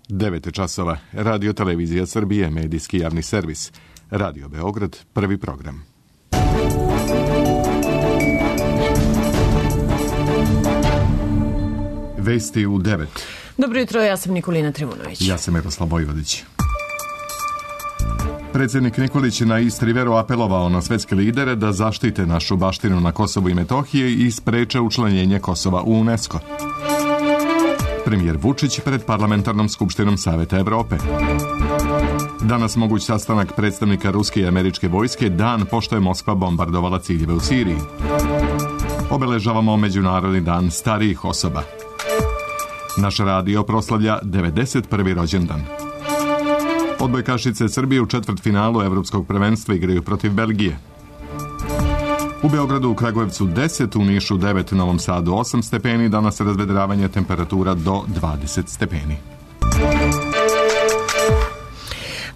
9 časova, Radio Televizija Srbije, medijski javni servis. Radio Beograd, prvi program. Vesti u 9. Dobro jutro, ja sam Nikolina Trivunović. Ja sam Miroslav Vojvodić. Predsjednik Nikolić je na Istriveru apelovao na svetske lidere da zaštite našu baštinu na Kosovu i Metohiji i spreče učlanjenje Kosova u UNESCO. Premijer Vučić pred Parlamentarnom skupštinom Saveta Evrope. Danas moguć sastanak predstavnika ruske i američke vojske, dan pošto je Moskva bombardovala ciljeve u Siriji. Obeležavamo Međunarodni dan starijih osoba. Naš radio proslavlja 91. rođendan. Odbojkašice Srbije u četvrtfinalu Evropskog prvenstva igraju protiv Belgije. U Beogradu, u Kragujevcu 10, u Nišu 9, Novom Sadu 8 stepeni, danas razvedravanje, temperatura do 20 stepeni.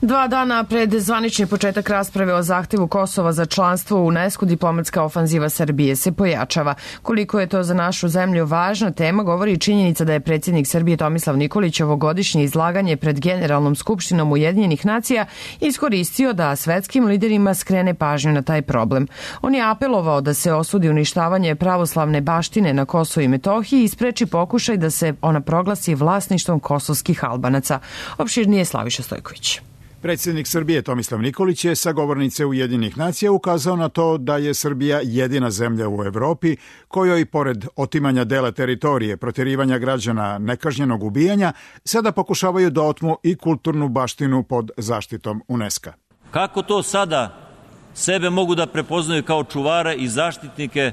2 dana pred zvanični početak rasprave o zahtevu Kosova za članstvo u UNESCO, diplomatska ofanziva Srbije se pojačava. Koliko je to za našu zemlju važna tema, govori i činjenica da je predsjednik Srbije Tomislav Nikolić ovogodišnje izlaganje pred Generalnom skupštinom Ujedinjenih nacija iskoristio da svetskim liderima skrene pažnju na taj problem. On je apelovao da se osudi uništavanje pravoslavne baštine na Kosovu i Metohiji i spreči pokušaj da se ona proglasi vlasništvom kosovskih Albanaca. Opširnije Slaviša Stojković. Predsjednik Srbije Tomislav Nikolić je sa govornice Ujedinjenih nacija ukazao na to da je Srbija jedina zemlja u Evropi kojoj, pored otimanja dela teritorije, protjerivanja građana, nekažnjenog ubijanja, sada pokušavaju da otmu i kulturnu baštinu pod zaštitom UNESCO. Kako to sada sebe mogu da prepoznaju kao čuvare i zaštitnike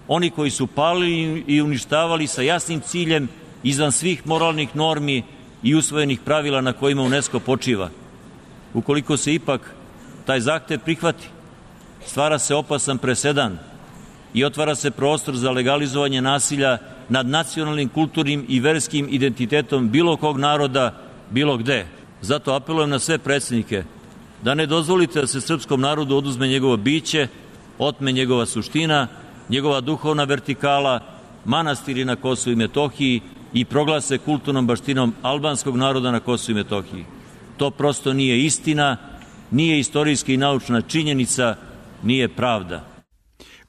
oni koji su palili i uništavali sa jasnim ciljem izvan svih moralnih normi i usvojenih pravila na kojima UNESCO počiva? Ukoliko se ipak taj zahtev prihvati, stvara se opasan presedan i otvara se prostor za legalizovanje nasilja nad nacionalnim, kulturnim i verskim identitetom bilo kog naroda, bilo gde. Zato apelujem na sve predsjednike da ne dozvolite da se srpskom narodu oduzme njegovo biće, otme njegova suština, njegova duhovna vertikala, manastiri na Kosovu i Metohiji i proglase kulturnom baštinom albanskog naroda na Kosovu i Metohiji. To prosto nije istina, nije istorijska i naučna činjenica, nije pravda.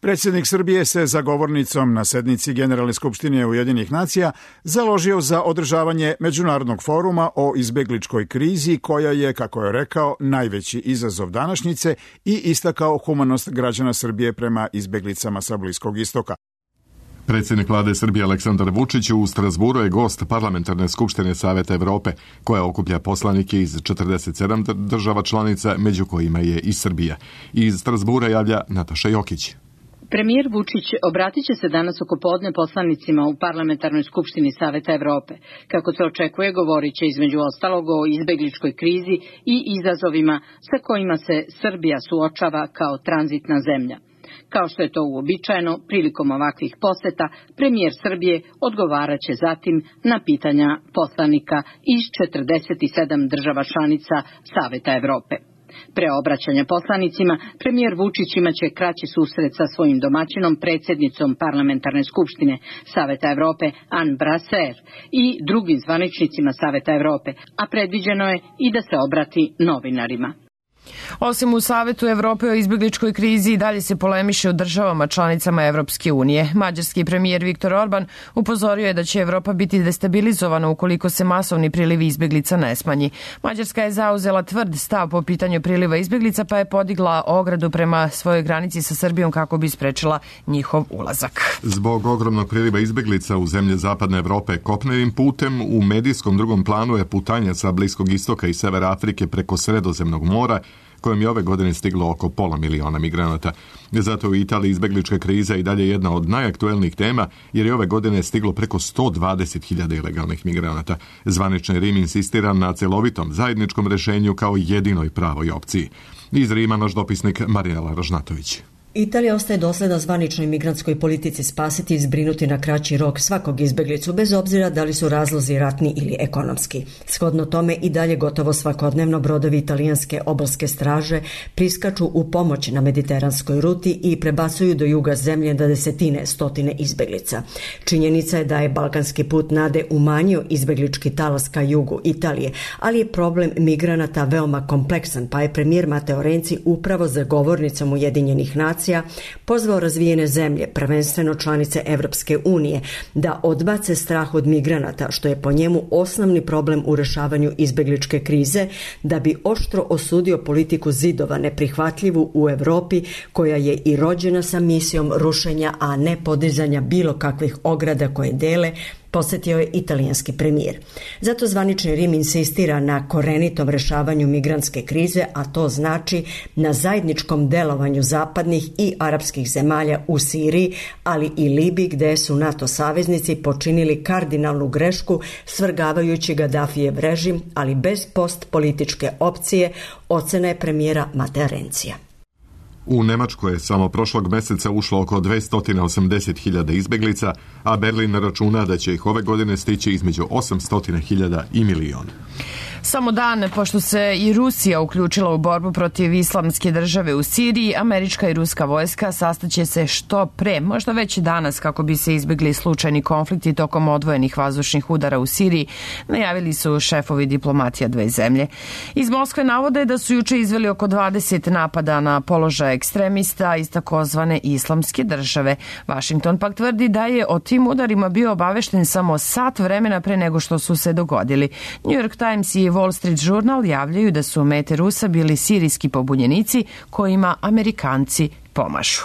Predsjednik Srbije se za govornicom na sednici Generalne skupštine Ujedinjenih nacija založio za održavanje međunarodnog foruma o izbegličkoj krizi koja je, kako je rekao, najveći izazov današnjice i istakao humanost građana Srbije prema izbeglicama sa Bliskog istoka. Predsjednik vlade Srbije Aleksandar Vučić u Strasburu je gost Parlamentarne skupštine Saveta Evrope, koja okuplja poslanike iz 47 država članica, među kojima je i Srbija. Iz Strasbura javlja Nataša Jokić. Premijer Vučić obratit će se danas oko podne poslanicima u Parlamentarnoj skupštini Saveta Evrope. Kako se očekuje, govorit će između ostalog o izbegličkoj krizi i izazovima sa kojima se Srbija suočava kao tranzitna zemlja. Kao što je to uobičajeno, prilikom ovakvih poseta, premijer Srbije odgovarat će zatim na pitanja poslanika iz 47 država članica Saveta Evrope. Pre obraćanja poslanicima, premijer Vučić imaće kraći susret sa svojim domaćinom, predsjednicom Parlamentarne skupštine Saveta Evrope Anne Brasser i drugim zvaničnicima Saveta Evrope, a predviđeno je i da se obrati novinarima. Osim u Savetu Evrope o izbegličkoj krizi, dalje se polemiše u državama članicama Evropske unije. Mađarski premijer Viktor Orban upozorio je da će Evropa biti destabilizovana ukoliko se masovni priliv izbeglica ne smanji. Mađarska je zauzela tvrd stav po pitanju priliva izbeglica, pa je podigla ogradu prema svojoj granici sa Srbijom kako bi sprečila njihov ulazak. Zbog ogromnog priliva izbeglica u zemlje Zapadne Evrope kopnenim putem, u medijskom drugom planu je putanja sa Bliskog istoka i Severa Afrike preko Sredozemnog mora, kojem je ove godine stiglo oko 500.000 migranata. Zato u Italiji izbeglička kriza i dalje jedna od najaktuelnijih tema, jer je ove godine stiglo preko 120.000 ilegalnih migranata. Zvanični Rim insistira na celovitom zajedničkom rešenju kao jedinoj pravoj opciji. Iz Rima naš dopisnik Marijela Ražnatović. Italija ostaje dosledna zvaničnoj migrantskoj politici spasiti i zbrinuti na kraći rok svakog izbeglicu, bez obzira da li su razlozi ratni ili ekonomski. Shodno tome i dalje gotovo svakodnevno brodovi italijanske obalske straže priskaču u pomoć na mediteranskoj ruti i prebacuju do juga zemlje na desetine, stotine izbeglica. Činjenica je da je balkanski put nade umanjio izbeglički talas ka jugu Italije, ali je problem migranata veoma kompleksan, pa je premijer Matteo Renzi upravo za govornicom Ujedinjenih nacija pozvao razvijene zemlje, prvenstveno članice Evropske unije, da odbace strah od migranata, što je po njemu osnovni problem u rešavanju izbegličke krize, da bi oštro osudio politiku zidova neprihvatljivu u Evropi, koja je i rođena sa misijom rušenja, a ne podizanja bilo kakvih ograda koje dele, posjetio je italijanski premijer. Zato zvanični Rim insistira na korenitom rešavanju migrantske krize, a to znači na zajedničkom delovanju zapadnih i arapskih zemalja u Siriji, ali i Libiji, gde su NATO saveznici počinili kardinalnu grešku svrgavajući Gaddafijev režim, ali bez postpolitičke opcije, ocena je premijera Mattea Renzija. U Nemačkoj je samo prošlog meseca ušlo oko 280.000 izbeglica, a Berlin računa da će ih ove godine stići između 800.000 i milion. Samo dan pošto se i Rusija uključila u borbu protiv islamske države u Siriji, američka i ruska vojska sastaće se što pre, možda već danas, kako bi se izbjegli slučajni konflikti tokom odvojenih vazdušnih udara u Siriji, najavili su šefovi diplomatija dve zemlje. Iz Moskve navode da su juče izveli oko 20 napada na položaje ekstremista iz takozvane islamske države. Washington pak tvrdi da je o tim udarima bio obavešten samo sat vremena pre nego što su se dogodili. New York Times i Wall Street Journal javljaju da su mete Rusa bili sirijski pobunjenici kojima Amerikanci pomažu.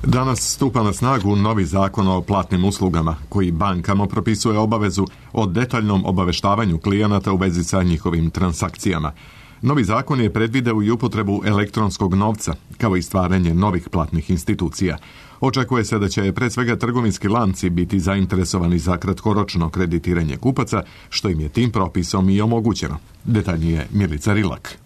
Danas stupa na snagu novi zakon o platnim uslugama, koji bankama propisuje obavezu o detaljnom obaveštavanju klijenata u vezi sa njihovim transakcijama. Novi zakon je predvideo i upotrebu elektronskog novca, kao i stvaranje novih platnih institucija. Očekuje se da će pre svega trgovinski lanci biti zainteresovani za kratkoročno kreditiranje kupaca, što im je tim propisom i omogućeno. Detaljnije Milica Rilak.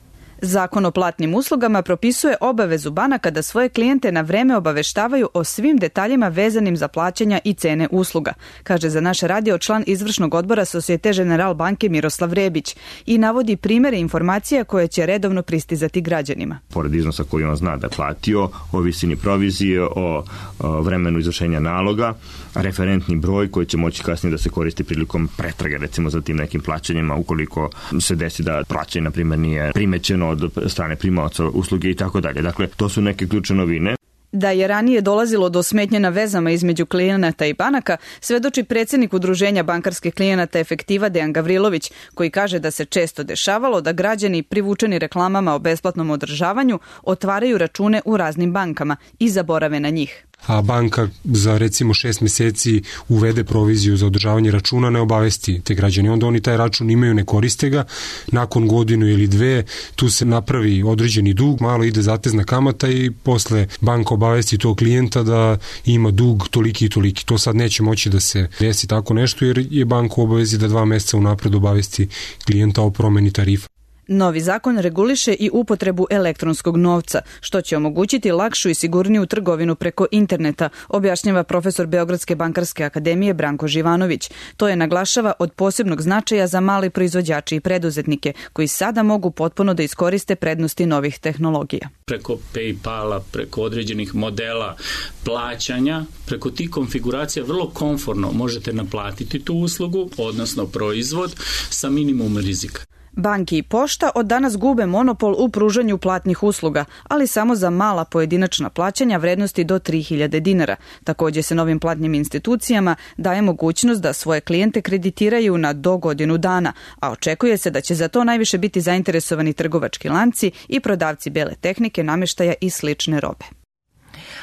Zakon o platnim uslugama propisuje obavezu banaka da svoje klijente na vreme obaveštavaju o svim detaljima vezanim za plaćanja i cene usluga, kaže za naš radio član izvršnog odbora Societe Generale banke Miroslav Rebić i navodi primere informacija koje će redovno pristizati građanima. Pored iznosa koji on zna da je platio, o visini provizije, o vremenu izvršenja naloga, referentni broj koji će moći kasnije da se koristi prilikom pretrage, recimo za tim nekim plaćanjima, ukoliko se desi da plaćanje, na primjer, nije primećeno od strane primaoca usluge i tako dalje. Dakle, to su neke ključne novine. Da je ranije dolazilo do smetnje na vezama između klijenata i banaka, svedoči predsjednik Udruženja bankarskih klijenata Efektiva Dejan Gavrilović, koji kaže da se često dešavalo da građani privučeni reklamama o besplatnom održavanju otvaraju račune u raznim bankama i zaborave na njih. A banka za recimo 6 mjeseci uvede proviziju za održavanje računa, ne obavesti te građani. Onda oni taj račun imaju, ne koriste ga, nakon godinu ili dve tu se napravi određeni dug, malo ide zatezna kamata i posle banka obavesti tog klijenta da ima dug toliki i toliki. To sad neće moći da se desi tako nešto jer je banka u obavezi da 2 mjeseca unapred obavesti klijenta o promeni tarifa. Novi zakon reguliše i upotrebu elektronskog novca, što će omogućiti lakšu i sigurniju trgovinu preko interneta, objašnjava profesor Beogradske bankarske akademije Branko Živanović. To je, naglašava, od posebnog značaja za male proizvođače i preduzetnike, koji sada mogu potpuno da iskoriste prednosti novih tehnologija. Preko PayPala, preko određenih modela plaćanja, preko tih konfiguracija vrlo komforno možete naplatiti tu uslugu, odnosno proizvod, sa minimum rizika. Banke i pošta od danas gube monopol u pružanju platnih usluga, ali samo za mala pojedinačna plaćanja vrednosti do 3000 dinara. Također se novim platnim institucijama daje mogućnost da svoje klijente kreditiraju na do godinu dana, a očekuje se da će za to najviše biti zainteresovani trgovački lanci i prodavci bele tehnike, namještaja i slične robe.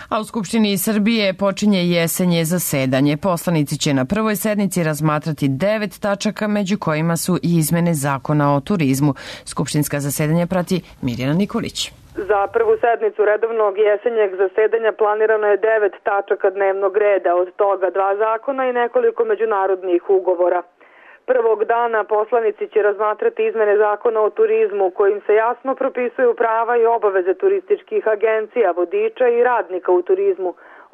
A u Skupštini Srbije počinje jesenje zasedanje. Poslanici će na prvoj sednici razmatrati 9 tačaka, među kojima su i izmene zakona o turizmu. Skupštinska zasedanja prati Mirjana Nikolić. Za prvu sednicu redovnog jesenjeg zasedanja planirano je 9 tačaka dnevnog reda, od toga 2 zakona i nekoliko međunarodnih ugovora. Prvog dana poslanici će razmatrati izmene zakona o turizmu kojim se jasno propisuju prava i obaveze turističkih agencija, vodiča i radnika u turizmu,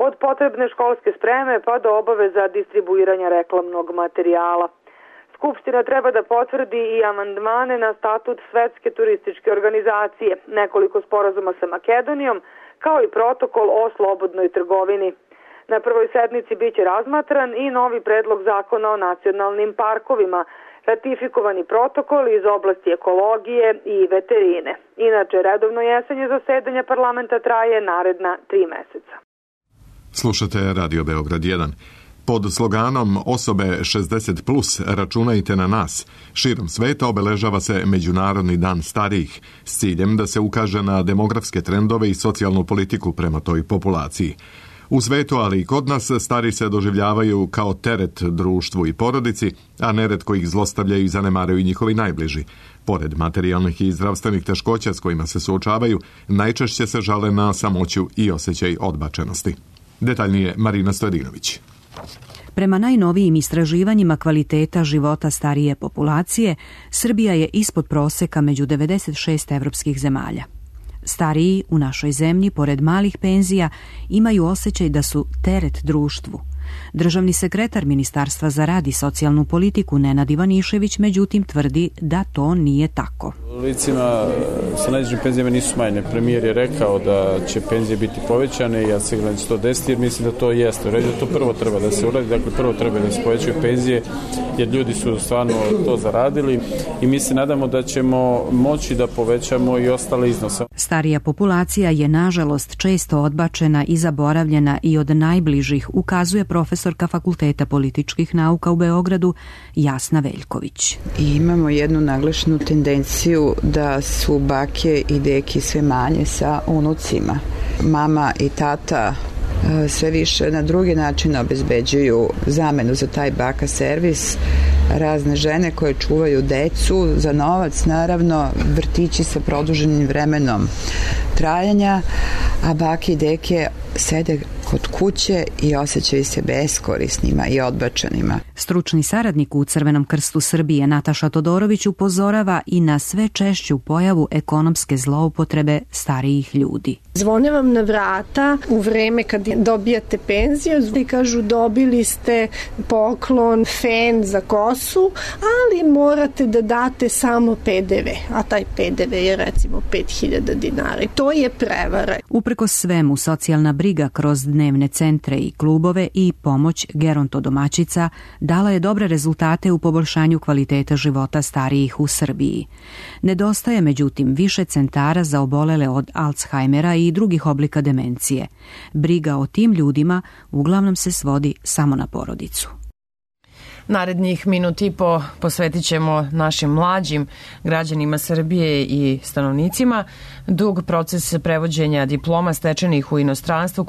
od potrebne školske spreme pa do obaveza distribuiranja reklamnog materijala. Skupština treba da potvrdi i amandmane na statut Svetske turističke organizacije, nekoliko sporazuma sa Makedonijom, kao i protokol o slobodnoj trgovini. Na prvoj sednici biće razmatran i novi predlog zakona o nacionalnim parkovima, ratifikovani protokol iz oblasti ekologije i veterine. Inače, redovno jesenje zasedanja parlamenta traje naredna 3 meseca. Slušate Radio Beograd 1. Pod sloganom Osobe 60+, računajte na nas, širom sveta obeležava se Međunarodni dan starijih s ciljem da se ukaže na demografske trendove i socijalnu politiku prema toj populaciji. U svetu, ali i kod nas, stari se doživljavaju kao teret društvu i porodici, a neretko ih zlostavljaju i zanemaraju i njihovi najbliži. Pored materijalnih i zdravstvenih teškoća s kojima se suočavaju, najčešće se žale na samoću i osjećaj odbačenosti. Detaljnije Marina Stojadinović. Prema najnovijim istraživanjima kvaliteta života starije populacije, Srbija je ispod proseka među 96 evropskih zemalja. Stariji u našoj zemlji, pored malih penzija, imaju osjećaj da su teret društvu. Državni sekretar Ministarstva za rad i socijalnu politiku Nenad Ivanišević međutim tvrdi da to nije tako. Licima sa najnižim penzijama nisu smanjene. Premijer je rekao da će penzije biti povećane i ja siguran da će to desiti jer mislim da to jeste. U redu, to prvo treba da se uradi, dakle prvo treba da se povećaju penzije jer ljudi su stvarno to zaradili i mi se nadamo da ćemo moći da povećamo i ostale iznose. Starija populacija je nažalost često odbačena i zaboravljena i od najbližih, ukazuje profesorka Fakulteta političkih nauka u Beogradu Jasna Veljković. I imamo jednu naglašenu tendenciju da su bake i deki sve manje sa unucima. Mama i tata sve više na drugi način obezbeđuju zamenu za taj baka servis. Razne žene koje čuvaju decu za novac, naravno vrtići sa produženim vremenom trajanja, a bake i deke sede kod kuće i osjećaju se beskorisnima i odbačenima. Stručni saradnik u Crvenom krstu Srbije Nataša Todorović upozorava i na sve češću pojavu ekonomske zloupotrebe starijih ljudi. Zvone vam na vrata u vreme kad dobijate penziju i kažu dobili ste poklon, fen za kosu, ali morate da date samo PDV, a taj PDV je recimo 5000 dinara. To je prevara. Uprkos svemu, socijalna briga kroz dnevne centre i klubove i pomoć gerontodomaćica dala je dobre rezultate u poboljšanju kvaliteta života starijih u Srbiji. Nedostaje međutim više centara za obolele od Alzheimera i drugih oblika demencije. Briga o tim ljudima uglavnom se svodi samo na porodicu. Narednih minut i po posvetit ćemo našim mlađim građanima Srbije i stanovnicima. Dug proces prevođenja diploma stečenih u inostranstvu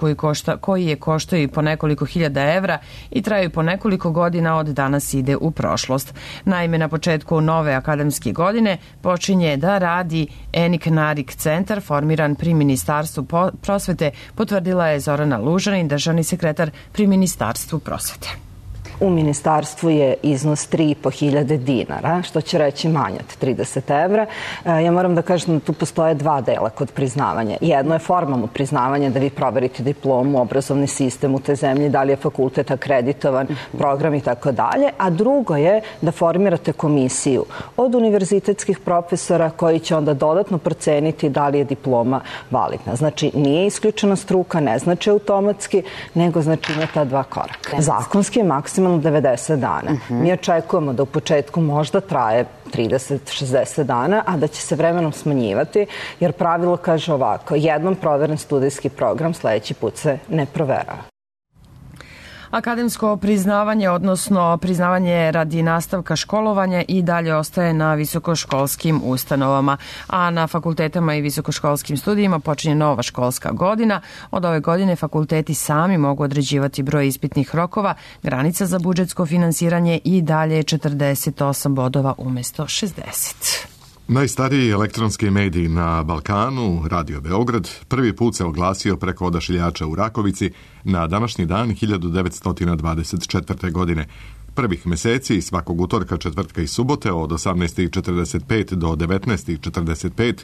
koji je koštao i po nekoliko hiljada evra i traju po nekoliko godina od danas ide u prošlost. Naime, na početku nove akademske godine počinje da radi Enik Narik centar formiran pri Ministarstvu prosvete, potvrdila je Zorana Lužanin, državni sekretar pri Ministarstvu prosvete. U ministarstvu je iznos 3.500 dinara, što će reći manje od 30 evra. Ja moram da kažem da tu postoje dva dela kod priznavanja. Jedno je formalno priznavanje da vi proverite diplomu, obrazovni sistem u toj zemlji, da li je fakultet akreditovan, program i tako dalje, a drugo je da formirate komisiju od univerzitetskih profesora koji će onda dodatno proceniti da li je diploma validna. Znači, nije isključena struka, ne znači automatski, nego znači ima ta dva koraka. Zakonski je maksimalno 90 dana. Mi očekujemo da u početku možda traje 30-60 dana, a da će se vremenom smanjivati, jer pravilo kaže ovako, jednom proveren studijski program sledeći put se ne proverava. Akademsko priznavanje, odnosno priznavanje radi nastavka školovanja i dalje ostaje na visokoškolskim ustanovama, a na fakultetama i visokoškolskim studijima počinje nova školska godina. Od ove godine fakulteti sami mogu određivati broj ispitnih rokova, granica za budžetsko finansiranje i dalje je 48 bodova umesto 60. Najstariji elektronski medij na Balkanu, Radio Beograd, prvi put se oglasio preko odašiljača u Rakovici na današnji dan 1924. godine. Prvih meseci svakog utorka, četvrtka i subote od 18.45 do 19.45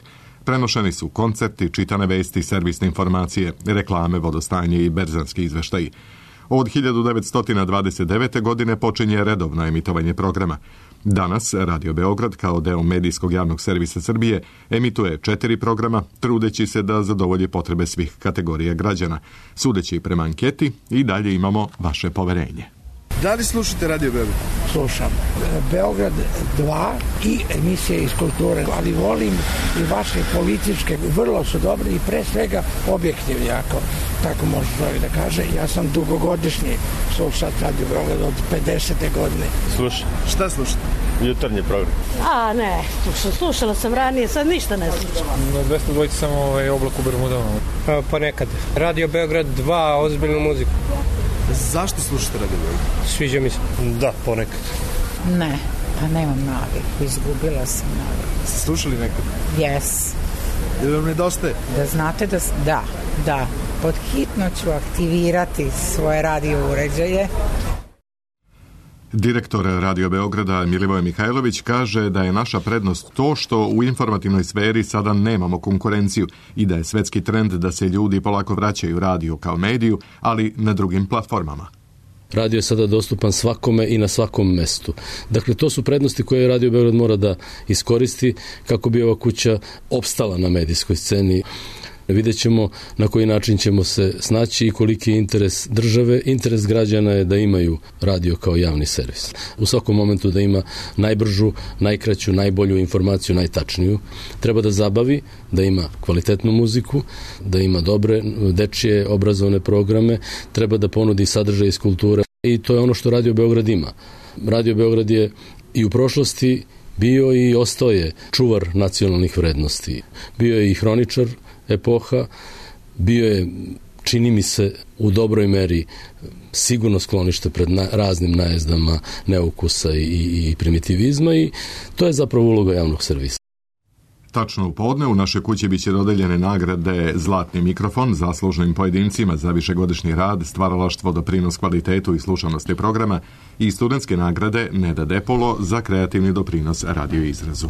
prenošeni su koncerti, čitane vesti, servisne informacije, reklame, vodostajanje i berzanski izveštaji. Od 1929. godine počinje redovno emitovanje programa. Danas Radio Beograd kao deo medijskog javnog servisa Srbije emituje 4 programa, trudeći se da zadovolji potrebe svih kategorija građana. Sudeći prema anketi, i dalje imamo vaše poverenje. Da li slušate Radio Beograd? Slušam. Beograd 2 i emisije iz kulture, ali volim i vaše političke, vrlo su dobri i pre svega objektivni, ako tako može čovjek da kaže. Ja sam dugogodišnji slušat Radio Beograd od 50. godine. Slušam. Šta slušate? Jutarnji program. Ne, slušala sam ranije, sad ništa ne slušam. Na 202 samo Oblak u Bermudama. Pa nekad. Radio Beograd 2, ozbiljnu muziku. Zašto slušate Radio Beograd? Sviđa mi se. Da, ponekad. Ne, pa nemam naviku, izgubila sam naviku. Ste slušali nekad? Yes. Ili vam nedostaje? Da znate da. Pod hitno ću aktivirati svoje radio uređaje. Direktor Radio Beograda Milivoje Mihajlović kaže da je naša prednost to što u informativnoj sferi sada nemamo konkurenciju i da je svetski trend da se ljudi polako vraćaju radiju kao mediju, ali na drugim platformama. Radio je sada dostupan svakome i na svakom mestu. Dakle, to su prednosti koje Radio Beograd mora da iskoristi kako bi ova kuća opstala na medijskoj sceni. Vidjet ćemo na koji način ćemo se snaći i koliki je interes države. Interes građana je da imaju radio kao javni servis. U svakom momentu da ima najbržu, najkraću, najbolju informaciju, najtačniju. Treba da zabavi, da ima kvalitetnu muziku, da ima dobre dečije obrazovne programe, treba da ponudi sadržaj iz kulture i to je ono što Radio Beograd ima. Radio Beograd je i u prošlosti bio i ostao je čuvar nacionalnih vrednosti. Bio je i hroničar epoha, bio je, čini mi se, u dobroj meri sigurno sklonište pred raznim najezdama neukusa i primitivizma i to je zapravo uloga javnog servisa. Tačno u podne u našoj kući biće dodeljene nagrade Zlatni mikrofon zaslužnim pojedincima za višegodišnji rad, stvaralaštvo, doprinos kvalitetu i slušanosti programa i studentske nagrade Neda Depolo za kreativni doprinos radio izrazu.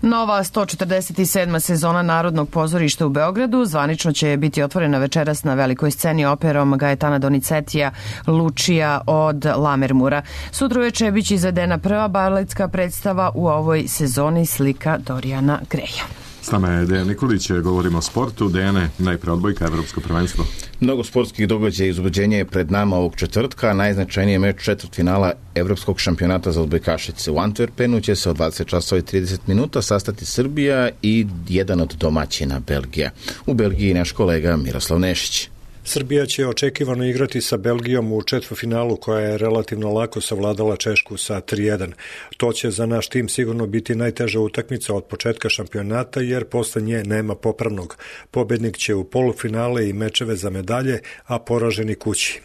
Nova 147. sezona Narodnog pozorišta u Beogradu zvanično će biti otvorena večeras na velikoj sceni operom Gajetana Donizetija Lučija od Lamermura. Sutra uveče biće izvedena prva baletska predstava u ovoj sezoni slika Dorijana Greja. S nama je Dejan Nikolić, govorimo o sportu. Dejane, najpre odbojka, Evropsko prvenstvo. Mnogo sportskih događaja i uzbuđenja je pred nama ovog četvrtka, a najznačajniji meč četvrtfinala Evropskog šampionata za odbojkašice. U Antwerpenu će se od 20 časova i 30 minuta sastati Srbija i jedan od domaćina Belgija. U Belgiji naš kolega Miroslav Nešić. Srbija će očekivano igrati sa Belgijom u četvrtfinalu koja je relativno lako savladala Češku sa 3-1. To će za naš tim sigurno biti najteža utakmica od početka šampionata jer posle nje nema popravnog. Pobednik će u polufinale i mečeve za medalje, a poraženi kući.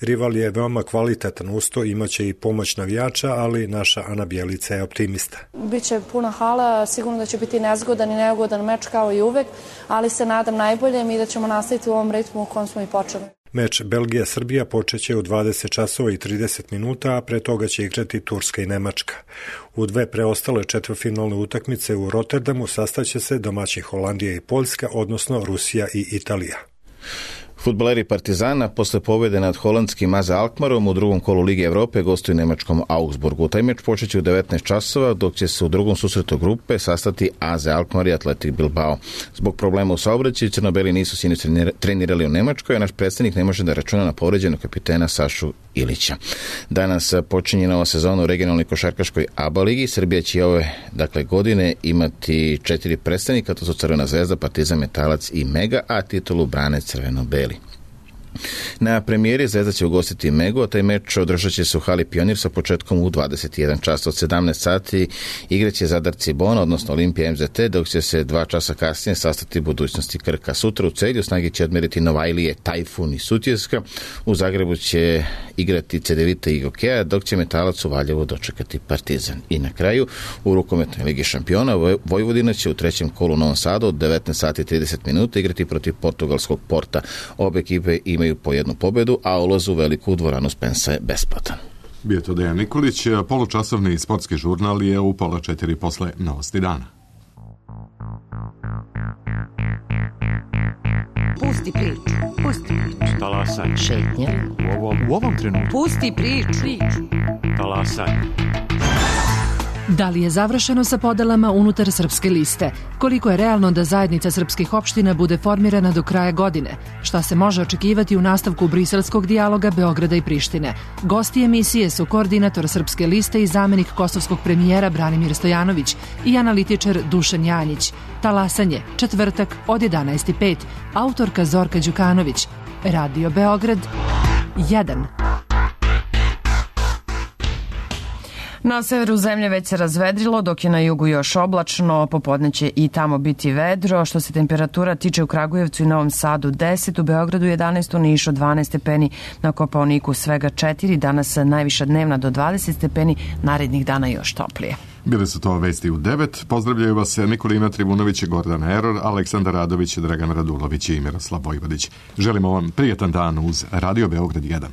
Rival je veoma kvalitetan usto, imaće i pomoć navijača, ali naša Ana Bjelica je optimista. Biće puna hala, sigurno da će biti nezgodan i neugodan meč kao i uvek, ali se nadam najboljem i da ćemo nastaviti u ovom ritmu u kojem smo i počeli. Meč Belgija-Srbija počeće u 20 časova i 30 minuta, a pre toga će igrati Turska i Nemačka. U dve preostale četvrtfinalne utakmice u Rotterdamu sastaće se domaći Holandija i Poljska, odnosno Rusija i Italija. Fudbaleri Partizana posle pobjede nad holandskim AZ Alkmarom u drugom kolu Lige Evrope gostuju nemačkom Augsburgu. Taj meč počeće u 19 časova, dok će se u drugom susretu grupe sastati AZ Alkmaar i Athletic Bilbao. Zbog problema u saobraćaju crnobeli nisu sinoć trenirali u Nemačkoj, a naš predstavnik ne može da računa na povređenog kapitena Sašu Ilića. Danas počinje nova sezona u regionalnoj košarkaškoj ABA ligi. Srbija će ove godine imati 4 predstavnika, to su Crvena zvezda, Partizan, Metalac i Mega, a titulu brane crveno-beli. Na premijeri Zvezda će ugostiti Megu, a taj meč održat će se u hali Pionir sa početkom u 21 čas. Od 17 sati igraće Zadar Cibona, odnosno Olimpija MZT, dok će se 2 časa kasnije sastati Budućnosti Krka. Sutra u Celju snage će odmeriti Novajlije, Tajfun i Sutjeska. U Zagrebu će igrati Cedevita i Gokeja, dok će Metalac u Valjevu dočekati Partizan. I na kraju, u rukometnoj Ligi šampiona Vojvodina će u trećem kolu u Novom Sadu od 19 sati 30 minuta igrati protiv portugalskog Porta. Obe ekipe imaju po jednu pobedu, a ulaz u veliku dvoranu Spensa je besplatan. Bio to Dejan Nikolić, polučasovni sportski žurnal je u 3:30 posle Novosti dana. Pusti priču, pusti priču. Talasaj. Šetnje. U ovom trenutku. Pusti priču. Talasaj. Da li je završeno sa podelama unutar Srpske liste? Koliko je realno da zajednica srpskih opština bude formirana do kraja godine? Šta se može očekivati u nastavku briselskog dijaloga Beograda i Prištine? Gosti emisije su koordinator Srpske liste i zamenik kosovskog premijera Branimir Stojanović i analitičar Dušan Janjić. Talasanje, četvrtak od 11:05. Autorka Zorka Đukanović. Radio Beograd 1. Na severu zemlje već se razvedrilo, dok je na jugu još oblačno, popodne će i tamo biti vedro. Što se temperatura tiče, u Kragujevcu i Novom Sadu 10, u Beogradu 11, u Nišu 12 stepeni, na Kopaoniku svega 4, danas najviša dnevna do 20 stepeni, narednih dana još toplije. Bile su to vesti u 9. Pozdravljaju vas Nikolina Trivunović, Gordana Eror, Aleksandar Radović, Dragan Radulović i Miroslav Vojvodić. Želimo vam prijetan dan uz Radio Beograd 1.